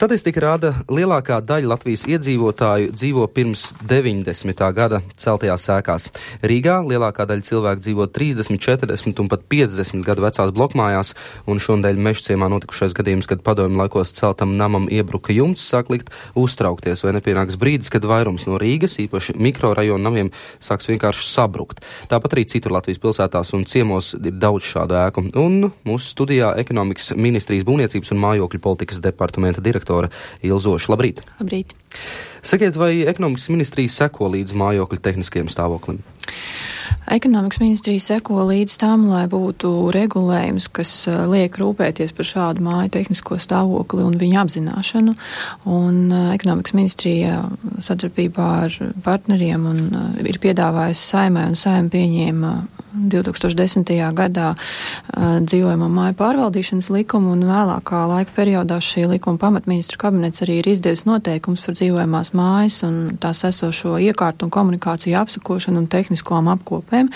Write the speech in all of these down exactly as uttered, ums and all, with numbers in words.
Statistika rāda, lielākā daļa Latvijas iedzīvotāju dzīvo pirms deviņdesmitā gada celtajās ēkās. Rīgā lielākā daļa cilvēku dzīvo trīsdesmit, četrdesmit un pat piecdesmit gadu vecās blokmājās, un šonadēļ Mežciemā notikušais gadījums, kad padomju laikos celtam namam iebruka jumts, sāk likt uztraukties, vai nepienāks brīdis, kad vairums no Rīgas, īpaši mikrorajonu namiem, sāks vienkārši sabrukt. Tāpat arī citur Latvijas pilsētās un ciemos ir daudz šādu ēku. Un mūsu studijā ekonomikas ministrijas būvniecības un mājokļu politikas departamenta direktora Ilzoša. Labrīt! Labrīt! Sakiet, vai ekonomikas ministrija seko līdz mājokļu tehniskajam stāvoklim? Ekonomikas ministrija seko līdz tam, lai būtu regulējums, kas liek rūpēties par šādu māju tehnisko stāvokli un viņa apzināšanu. Un ekonomikas ministrija sadarbībā ar partneriem un ir piedāvājusi Saeimai, un Saeima pieņēma divi tūkstoši desmitajā gadā dzīvojamo māju pārvaldīšanas likumu, un vēlākā laika periodā šī likuma pamatministru kabinets arī ir izdevis noteikums par dzīvojamās mājas un tās esošo iekārtu un komunikāciju apsakošanu un tehniskām apkopēm.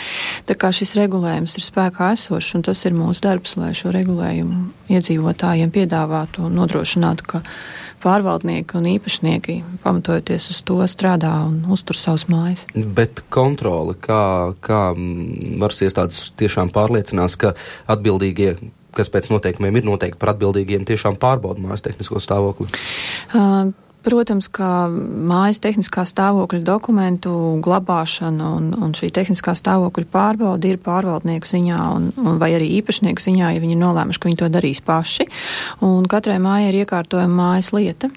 Tā kā šis regulējums ir spēkā esošs, un tas ir mūsu darbs, lai šo regulējumu iedzīvotājiem piedāvātu un nodrošinātu, ka pārvaldnieki un īpašnieki, pamatojoties uz to, strādā un uztur savas mājas. Bet kontrole, kā, kā varas iestādes tiešām pārliecinās, ka atbildīgie, kas pēc noteikumiem ir noteikti par atbildīgiem, tiešām pārbauda mājas tehnisko stāvokli? Uh, Protams, ka mājas tehniskā stāvokļa dokumentu glabāšana un, un šī tehniskā stāvokļa pārbauda ir pārvaldnieku ziņā un, un vai arī īpašnieku ziņā, ja viņi ir nolēmuši, ka viņi to darīs paši. Un katrai mājai ir iekārtojama mājas lieta.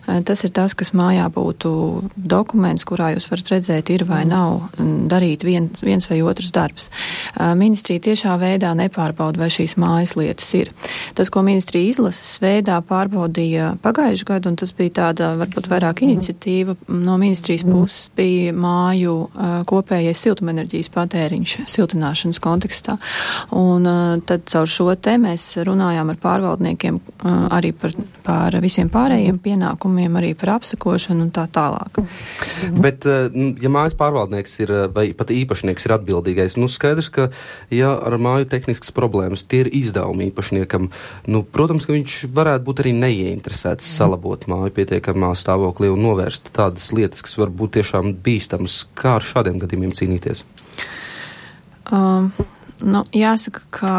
Tas ir tas, kas mājā būtu dokuments, kurā jūs varat redzēt, ir vai nav darīt viens, viens vai otrs darbs. Ministrija tiešā veidā nepārbauda, vai šīs mājas lietas ir. Tas, ko ministrija izlases veidā pārbaudīja pagājuši gadu, un tas bija tāda varbūt vairāk iniciatīva no ministrijas puses, bija māju uh, kopējais siltumenerģijas patēriņš siltināšanas kontekstā. Un uh, tad caur šo te mēs runājām ar pārvaldniekiem uh, arī par, par visiem pārējiem pienākumiem, arī par apsakošanu un tā tālāk. Bet, uh, ja mājas pārvaldnieks ir, vai pat īpašnieks ir atbildīgais, nu skaidrs, ka ja ar māju tehniskas problēmas tie ir izdevumi īpašniekam, nu, protams, ka viņš varētu būt arī neieinteresēts salabot māju pietiekam stāvoklī un novērst tādas lietas, kas var būt tiešām bīstamas. Kā ar šādiem gadījumiem cīnīties? Um, nu, jāsaka, ka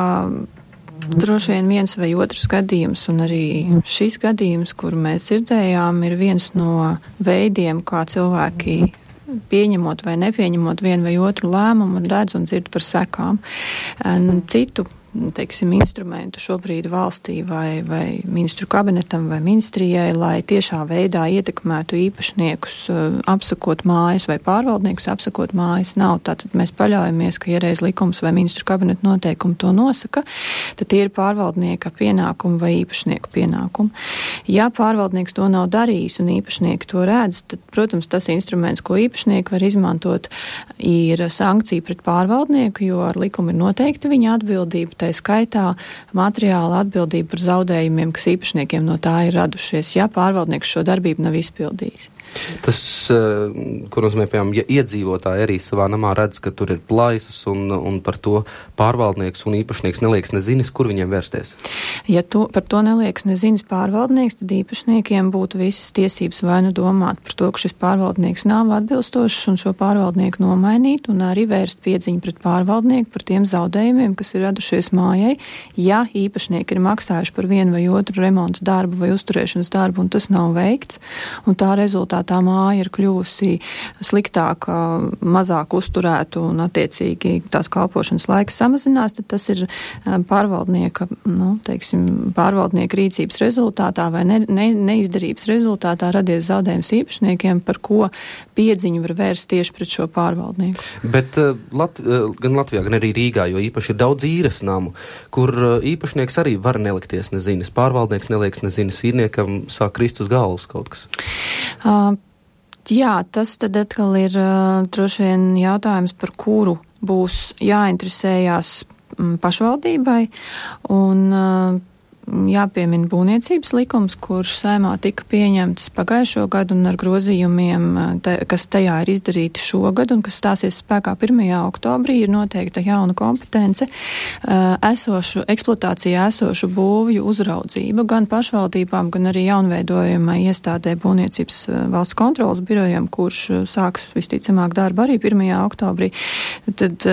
droši vien viens vai otrs gadījums, un arī šis gadījums, kuru mēs dzirdējām, ir viens no veidiem, kā cilvēki pieņemot vai nepieņemot vienu vai otru lēmumu, redz un dzird par sekām. Un citu teiksim, instrumentu šobrīd valstī vai, vai ministru kabinetam vai ministrijai, lai tiešā veidā ietekmētu īpašniekus apsakot mājas vai pārvaldniekus apsakot mājas, nav. Tātad mēs paļaujamies, ka, ja reiz likums vai ministru kabineta noteikumi to nosaka, tad tie ir pārvaldnieka pienākumi vai īpašnieku pienākumi. Ja pārvaldnieks to nav darījis un īpašnieki to redz, tad, protams, tas instruments, ko īpašnieki var izmantot, ir sankcija pret pārvaldnieku, jo ar likumu ir noteikti viņa atbildība, tā skaitā materiāla atbildība par zaudējumiem, kas īpašniekiem no tā ir radušies, ja pārvaldnieks šo darbību nav izpildījis. Tas, ko nozīmē, piemēram, ja iedzīvotāji arī savā namā redz, ka tur ir plaisas un, un par to pārvaldnieks un īpašnieks neliekas nezinis, kur viņiem vērsties? Ja to, par to neliekas nezinis pārvaldnieks, tad īpašniekiem būtu visas tiesības vai nu domāt par to, ka šis pārvaldnieks nav atbilstošs un šo pārvaldnieku nomainīt un arī vērst piedziņu pret pārvaldnieku par tiem zaudējumiem, kas ir radušies mājai, ja īpašnieki ir maksājuši par vienu vai otru remontu darbu vai uzturēšanas darbu un tas nav veikts, un tā rezultātā tā māja ir kļuvusi sliktāka, mazāk uzturētu un attiecīgi tās kalpošanas laiks samazinās, tad tas ir pārvaldnieka, nu, teiksim, pārvaldnieka rīcības rezultātā vai ne, ne, neizdarības rezultātā radies zaudējums īpašniekiem, par ko piedziņu var vērst tieši pret šo pārvaldnieku. Bet uh, Lat- uh, gan Latvijā, gan arī Rīgā, jo īpaši ir daudz īres namu, kur uh, īpašnieks arī var nelikties nezinis, pārvaldnieks neliekas nezinis, īrniekam sāk krist uz galvas kaut kas. Uh, jā, tas tad atkal ir uh, droši vien jautājums, par kuru būs jāinteresējās um, pašvaldībai, un uh, jāpiemina būvniecības likums, kurš Saeimā tika pieņemts pagājušo gadu un ar grozījumiem, te, kas tajā ir izdarīti šogad un kas stāsies spēkā pirmajā oktobrī, ir noteikta jauna kompetence esošu, eksploatācijā esošu būvju uzraudzība gan pašvaldībām, gan arī jaunveidojumai iestādē būvniecības valsts kontrolas birojam, kurš sāks visticamāk darbu arī pirmajā oktobrī. Tad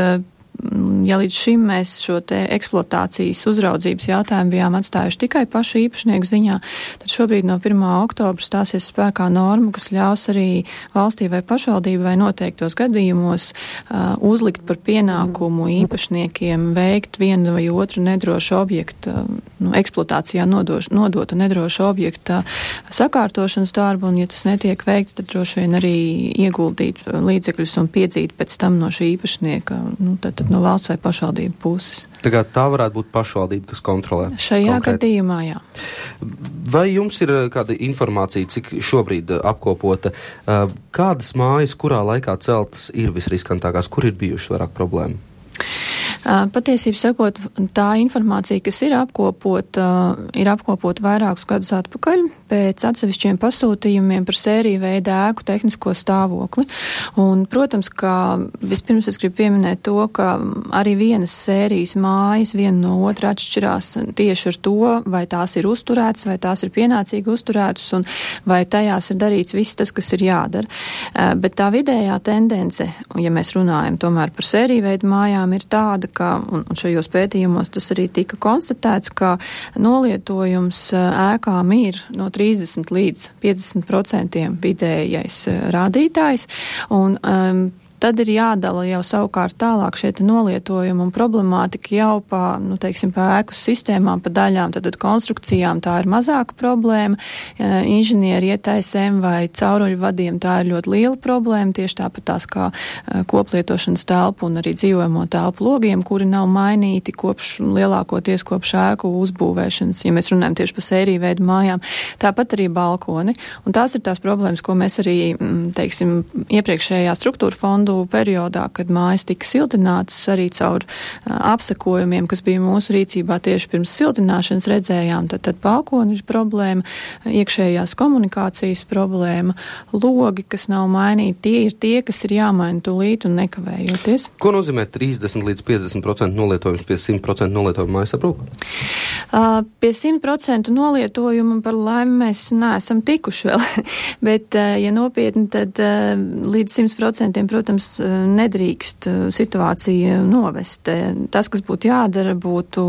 ja līdz šim mēs šo te eksploatācijas uzraudzības jautājumu bijām atstājuši tikai pašu īpašnieku ziņā, tad šobrīd no pirmā oktobra stāsies spēkā norma, kas ļaus arī valstī vai pašvaldībai vai noteiktos gadījumos uh, uzlikt par pienākumu īpašniekiem veikt vienu vai otru nedrošu objektu, nu, eksploatācijā nodoš, nodota nedrošu objekta sakārtošanas darbu, un ja tas netiek veikts, tad droši vien arī ieguldīt līdzekļus un piedzīt pēc tam no šī īpašnieka, nu, tad, tad no valsts vai pašvaldību puses. Tā kā tā varētu būt pašvaldība, kas kontrolē? Šajā konkrēti gadījumā, jā. Vai jums ir kāda informācija, cik šobrīd apkopota, kādas mājas, kurā laikā celtas ir visriskantākās, kur ir bijušas vairāk problēmu? Patiesībā sakot, tā informācija, kas ir apkopota, ir apkopota vairākus gadus atpakaļ pēc atsevišķiem pasūtījumiem par sēriju veida ēku tehnisko stāvokli. Un, protams, ka vispirms es gribu pieminēt to, ka arī vienas sērijas mājas viena no otra atšķirās tieši ar to, vai tās ir uzturētas, vai tās ir pienācīgi uzturētas, un vai tajās ir darīts viss tas, kas ir jādara. Bet tā vidējā tendence, ja mēs runājam tomēr par sēriju veidu mājām, ir tāda, ka, un šajos pētījumos tas arī tika konstatēts, ka nolietojums ēkām ir no trīsdesmit līdz piecdesmit procentiem vidējais rādītājs, un um, tad ir jādala jau savukārt tālāk šie nolietojumi un problemātika jau pa, nu, teiksim, pa ēku sistēmām, pa daļām, tad, tad konstrukcijām tā ir mazāka problēma, inženieri ietaisēm vai cauruļu vadiem tā ir ļoti liela problēma, tieši tāpat tās kā koplietošanas telpu un arī dzīvojamo telpu logiem, kuri nav mainīti kopš lielākoties kopš ēku uzbūvēšanas, ja mēs runājam tieši pa sēriju veidu mājām, tāpat arī balkoni. Un tās ir tās problēmas, ko mēs arī, teiksim, iepriekšējā struktūra fondu periodā, kad mājas tika siltinātas arī caur uh, apsakojumiem, kas bija mūsu rīcībā tieši pirms siltināšanas redzējām, tad, tad balkoni ir problēma, iekšējās komunikācijas problēma, logi, kas nav mainīti, tie ir tie, kas ir jāmaina tūlīt un nekavējoties. Ko nozīmē trīsdesmit līdz piecdesmit procenti nolietojums pie simt procenti nolietojuma mājas aprūka? Uh, pie simt procenti nolietojuma par laimi mēs neesam tikuši vēl, bet, uh, ja nopietni, tad uh, līdz simt procentiem, protams, nedrīkst situācija novest. Tas, kas būtu jādara, būtu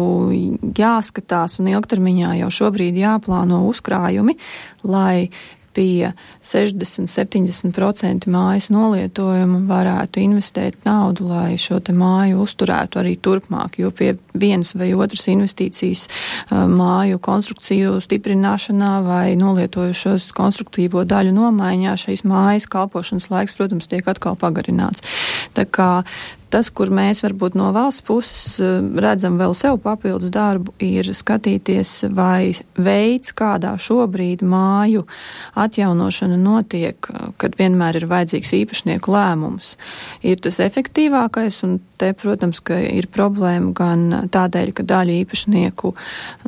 jāskatās un ilgtermiņā jau šobrīd jāplāno uzkrājumi, lai pie sešdesmit līdz septiņdesmit procenti mājas nolietojumu varētu investēt naudu, lai šo te māju uzturētu arī turpmāk, jo pie vienas vai otras investīcijas māju konstrukciju stiprināšanā vai nolietojušos konstruktīvo daļu nomaiņā šīs mājas kalpošanas laiks, protams, tiek atkal pagarināts. Tā kā tas, kur mēs varbūt no valsts puses redzam vēl sev papildus darbu, ir skatīties, vai veids, kādā šobrīd māju atjaunošana notiek, kad vienmēr ir vajadzīgs īpašnieku lēmums, ir tas efektīvākais, un te, protams, ka ir problēma gan tādēļ, ka daļa īpašnieku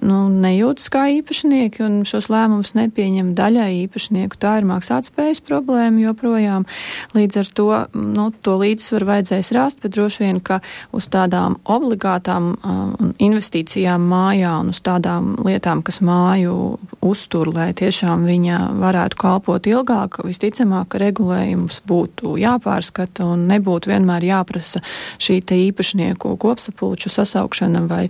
nu, nejūtas kā īpašnieki un šos lēmumus nepieņem daļai īpašnieku. Tā ir maksātspējas problēma joprojām. Līdz ar to, nu, to līdzsvaru vajadzēs rast, bet droši vien, ka uz tādām obligātām um, investīcijām mājā un uz tādām lietām, kas māju uztur, lai tiešām viņa varētu kalpot ilgāk, visticamāk, ka regulējums būtu jāpārskata un nebūtu vienmēr jāprasa šī te īpašnieku kopsapulču sasaukšana vai,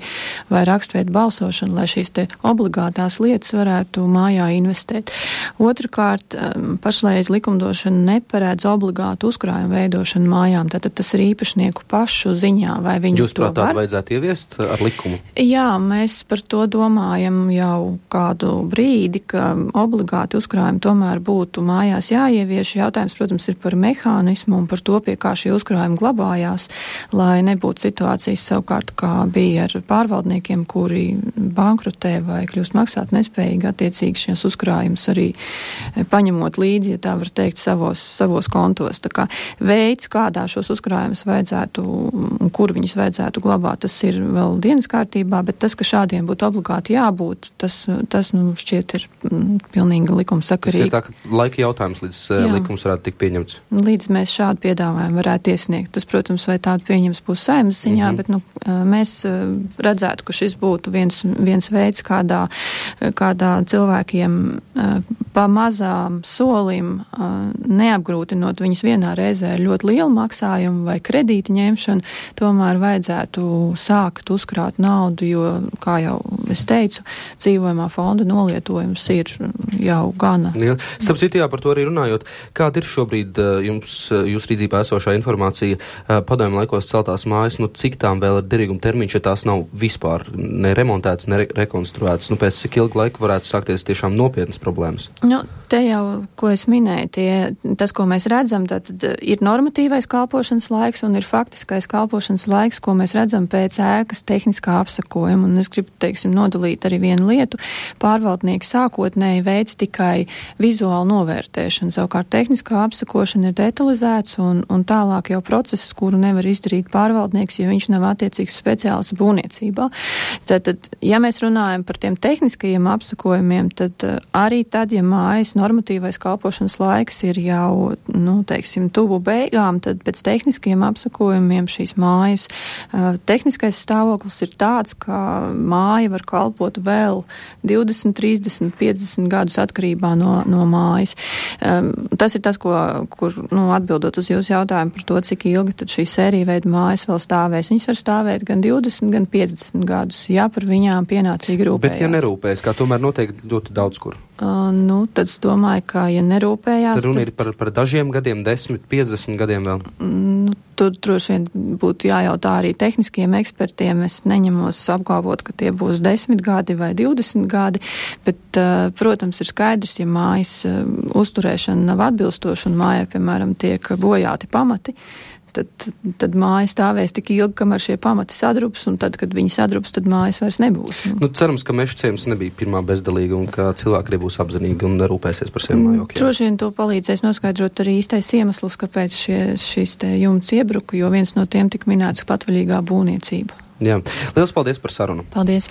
vai rakstveidu balsošana, lai šīs te obligātās lietas varētu mājā investēt. Otrakārt, um, pašreiz likumdošana neparedz obligātu uzkrājumu veidošanu mājām, tātad tas ir īpašnieku pašu ziņā, vai viņi Jūs, prāt, tādu vajadzētu ieviest ar likumu? Jā, mēs par to domājam jau kādu brīdi, ka obligāti uzkrājumi tomēr būtu mājās jāievieš. Jautājums, protams, ir par mehānismu un par to, pie kā šie uzkrājumi glabājās, lai nebūtu situācijas savukārt, kā bija ar pārvaldniekiem, kuri bankrotē vai kļūst maksāt nespējīgi, attiecīgi šies uzkrājumus arī paņemot līdzi, ja tā var teikt, savos, savos kontos. Tā kā veids, kādā šos uzkrājumus vajadzētu vajadzētu un kur viņus vajadzētu glabāt, tas ir vēl dienas kārtībā, bet tas, ka šādiem būtu obligāti jābūt, tas, tas nu, šķiet ir mm, pilnīgi likumsakarīgi. Tas ir tā, ka laika jautājums, līdz Jā. likums varētu tikt pieņemts. Līdz mēs šādu piedāvājumu varētu iesniegt. Tas, protams, vai tādu pieņems būs Saeimas ziņā, mm-hmm. bet nu, mēs redzētu, ka šis būtu viens, viens veids, kādā, kādā cilvēkiem pa mazām solim neapgrūtinot viņus vienā reizē ar ļoti lielu maksājumu vai kredīta ņemšanu, tomēr vajadzētu sākt uzkrāt naudu, jo, kā jau es teicu, dzīvojamā fonda nolietojums ir jau gana. Jā. Starp citu, jā, par to arī runājot, kāda ir šobrīd jums, jūs rīdzībā esošā informācija padomju laikos celtās mājas, nu cik tām vēl ir derīguma termiņš, ja tās nav vispār ne remontētas, ne re rekonstruētas, nu pēc cik ilgu laiku varētu sākties tiešām nopietnas problēmas? Nu, te jau, ko es minēju, tie, tas, ko mēs redzam, tad ir normatīvais kalpošanas laiks un ir faktiskais kalpošanas laiks, ko mēs redzam pēc ēkas tehniskā apsakojuma. Un es gribu, teiksim, nodalīt arī vienu lietu. Pārvaldnieki sākotnēji veids tikai vizuālu novērtēšanu. Savukārt tehniskā apsakošana ir detalizēts un, un tālāk jau process, kuru nevar izdarīt pārvaldnieks, ja viņš nav attiecīgs speciālists būvniecībā. Tad, tad, ja mēs runājam par tiem tehniskajiem apsakojumiem, tad arī tad, ja mājas normatīvais kalpošanas laiks ir jau, nu, teiksim, tuvu beigām, tad pēc tehniskiem apsakojumiem šīs mājas uh, tehniskais stāvoklis ir tāds, ka māja var kalpot vēl divdesmit, trīsdesmit, piecdesmit gadus atkarībā no, no mājas. Um, tas ir tas, ko, kur, nu, atbildot uz jūsu jautājumu par to, cik ilgi tad šī sērija veida mājas vēl stāvēs. Viņas var stāvēt gan divdesmit, gan piecdesmit gadus, ja par viņām pienācīgi rūpējās. Bet ja nerūpējas, kā tomēr noteikti ļoti daudz kur? Uh, nu, tad es domāju, ka, ja nerūpējās... Tad runa tad... ir par, par dažiem gadiem, desmit, piecdesmit gadiem vēl? Nu, tur droši vien būtu jājautā arī tehniskiem ekspertiem. Es neņemos apgalvot, ka tie būs desmit gadi vai divdesmit gadi, bet, uh, protams, ir skaidrs, ja mājas uh, uzturēšana nav atbilstoša un mājai, piemēram, tiek bojāti pamati, Tad, tad māja stāvēs tik ilgi, kamēr šie pamati sadrups, un tad, kad viņi sadrups, tad mājas vairs nebūs. Nu, cerams, ka Meža ciems nebija pirmā bezdalīga un ka cilvēki arī būs apzinīgi un rūpēsies par saviem mājokļiem. Droši vien to palīdzēs noskaidrot arī īstais iemesls, kāpēc šie, šīs te jumts iebruka, jo viens no tiem tika minēts patvaļīgā būvniecība. Jā. Liels paldies par sarunu. Paldies.